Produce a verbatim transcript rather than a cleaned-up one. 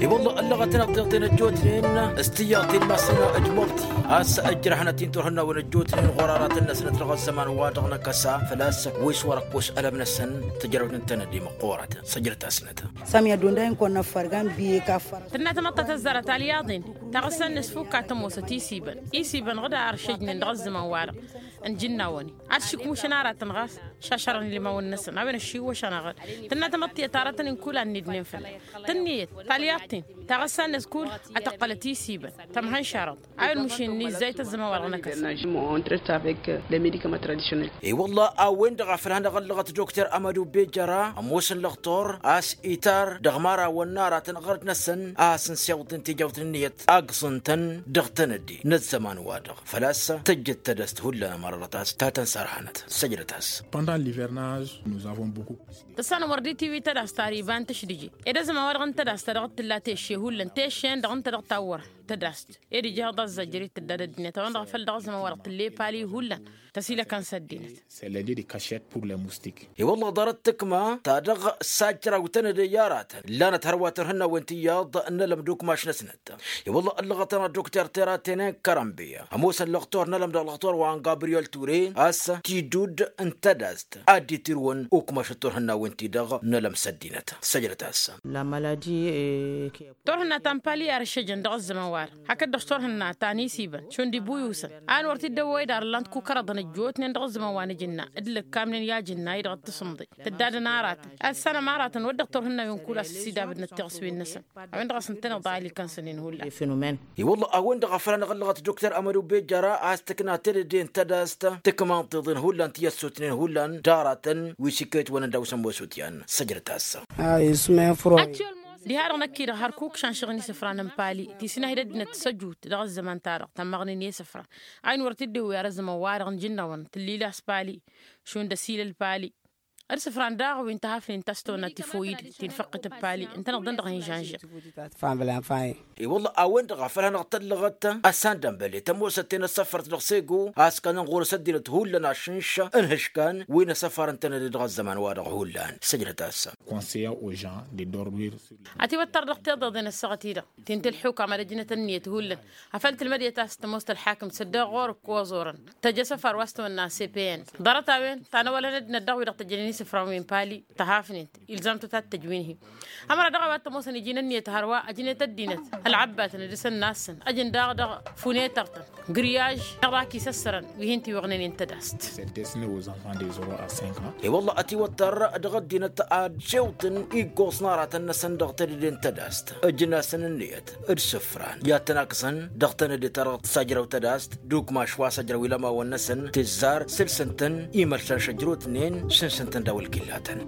I-wălla ăllăɣăt-năɣ tiḍeḍen ăjjootnen s-tiyyăḍ ti n-massănăɣ ăjmăḍti a-s ǝjrăhănăt-in turhǝnnawen ăjjootnen ɣur-aratăn-năsnăt dăɣ-ăzzăman-wa-dăɣ n-akăsa făl-a-s wi s-wăr-ăkkoš ălăm-năsăn. Tǝjrăwt n-tenădde măqqoorăt săjdăt-asnăt. Sămya dondayăn kăwăn-năffărgan biye kafăr. Tǝnna tamăḍt ta tăzzarăt alyaḍen taɣǝssa-net fukk a tămoosăt isibăn isibăn ɣǝd a ăršăjnen dăɣ-ăzzăman-wa-dăɣ n-ijǝnnawăn-i ad-šǝkmušăn aratăn ɣas šašărăn ilmawăn-năsăn a-wen ăššiwwăšăn aɣǝd. Tǝnna tamăḍt tiyyăt aratăn-in kull a ǝnnidnen fălla-s tǝnniyăt talyaḍt-in taɣǝssa-net kull ad-tăqqălăt isibăn tămhănšarăḍ a-wen mušin n-izzay tăzzăman-wa-dăɣ n-akăs. I-wălla a-wen-dăɣ a făl-hanăɣ-ăllăɣăt dokter amădu bejăra ămoosăn lăxtor a-s itar dăɣ-imărawăn n-aratăn ɣărd-năsăn a hasăn-siwǝḍnen tijawt n-ǝnniyăt aggǝẓăn-tăn dăɣ-tenădde n-ăzzăman-wa-dăɣ făl-a-s tăjjăt tedăst hullan ămărăḍăt a-s ta tăn-sărhanăt. Săjdăt-as. Pendant l'hivernage nous avons beaucoup. Tăssanăm wăr dd-tiwǝy tedăst ar iba n-tǝšdǝje ed ăzzăman-wa-dăɣ n-tedăst ta dăɣ-t tǝlla tešše hullan tešše-en-dăɣ ǝnta dăɣ-tawwăr tedăst ed ija iḍaẓ zăjjăr-i tǝddad ăddinăt a-wen-dăɣ a făl dăɣ-ăzzăman-wa-dăɣ tǝlle pali hullan tăsilăkăn s-ăddinăt. C'est l'idée de cachette pour les moustiques. I-wălla ḍarăt tǝkma ta dăɣ-sajjăraw tenăde i-aratăn ǝllanăt hărwa turhǝnnawen tiyyăḍ n-ălăm d-ukmaš-năsnăt. I-wălla ăllăɣăt-anăɣ dokter tera tenen kărănbiya ămoosăn lăxtor n-ălăm dăɣ-lăxtor wa n-gabriyel ture a-s tidudd n-tedăst ad-dd-itirǝwăn ukmaš d-turhǝnnawen-ti-dăɣ n-ălăm s-ăddinăt. Săjdăt-as. Turhǝnna ta n-pali ar ǝššăjăn dăɣ-ăzzăman-wa-dăɣ hakd-dăɣ s-turhǝnna ta n-isibăn šund ibuyusăn a-wen wăr t-dd-ăwwăy d-ar ǝllant kukărăḍăn ăjjootnen dăɣ-ăzzăman wa n-ajǝnna d-lăkkamnen i-ajǝnna-i-dăɣ d-tǝsǝmḍe tǝddadăn aratăn ad-sănăm aratăn wăr dăɣ-turhǝnnawen kul a-s ăsidabădnăt tiɣǝswen-năsăn. A-wen-dăɣ a-s ǝntăneḍ a ilikan sănen hullan. I-wălla a-wen-dăɣ a făl hanăɣ-ăllăɣăt dokter amădu bejăra a-s tǝkna tedăde n-tedăst tǝkma n-tiḍen hullan ti ăssutnen hullan d-aratăn wi s-ikkăyăt wănăn daw-săn mosutyan. Săjdăt-as. Diha-dăɣ năkk-i-dăɣ hărkuk šanšăɣ n-isǝfran n-pali ti s-inahid ăddinăt s-ăjut dăɣ-ăzzăman-ta-dăɣ tămmăɣnen i-isǝfran a-wen wăr t-dd-iwwi ar ăzzăman-wa-dăɣ n-ijǝnnawăn tǝllilas pali šund ăsilăl pali. Ărsǝfran daɣ wi n-tăhafnen ta s-tăwănna tifoyid ti n-făqqǝt ăppali ǝntăneḍ-dăn dăɣ-hin-žănžăɣ. I-wălla a-wen-dăɣ a făl hanăɣ-tăllăɣăt ăssandănbăle tămoosăt-ten ăssăfărt dăɣ-sego a-s kănăn ɣur-s ăddinăt hullan ašǝnš n-ihǝškan wi n-asăfar ǝntănăde dăɣ-ăzzăman-wa-dăɣ hullan. Săjdăt-as. Conseiller aux gens de dormir sur. Ătiwăttăr dăɣ-tiḍeḍen ăssaɣăt-i-dăɣ ti n-tǝlḥukam ad-ăjnăt ǝnniyăt hullan afăl tǝlmădiyăt a-s tămoos tălḥakǝmt s-ădda ɣur-ǝkkoẓ orăn tăj asăfar wa s-tăwănna cpn. Ḍarăt-a-wen ta n-ăwălăn ăddinăt daɣ wi-dăɣ tăjjănen isǝfran wi n-pali tăhafnen-t ilzam-tăt ad-tăj wi n-hi. Ămăra dăɣ-a-wa t-ămoosăn iji n-ǝnniyăt hărwa ăjnet ăddinăt ălɣăbbatăn d-isănnassăn ăjǝn daɣ dăɣ-funetăr-tăn griyaj dăɣ-dăɣ-ak isăssărăn wi hin-tiwăɣnen i-n tădast. I-wălla ătiwăttăr dăɣ-ăddinăt ad-siwṭăn iggoẓ n-aratăn-năsăn dăɣ-tedăde n-tădast ǝjǝn-asăn ǝnniyăt d-isǝfran i-ad-tăn-akẓăn dăɣ-tenăde ta dăɣ-tǝssajrăw tădast d-ukmaš wa s-ăjrăw ilămawăn-năsăn tizzar sǝlsăn-tăn imălšan šăjrutnen sǝnsǝn-tăn daw-ălkillatăn.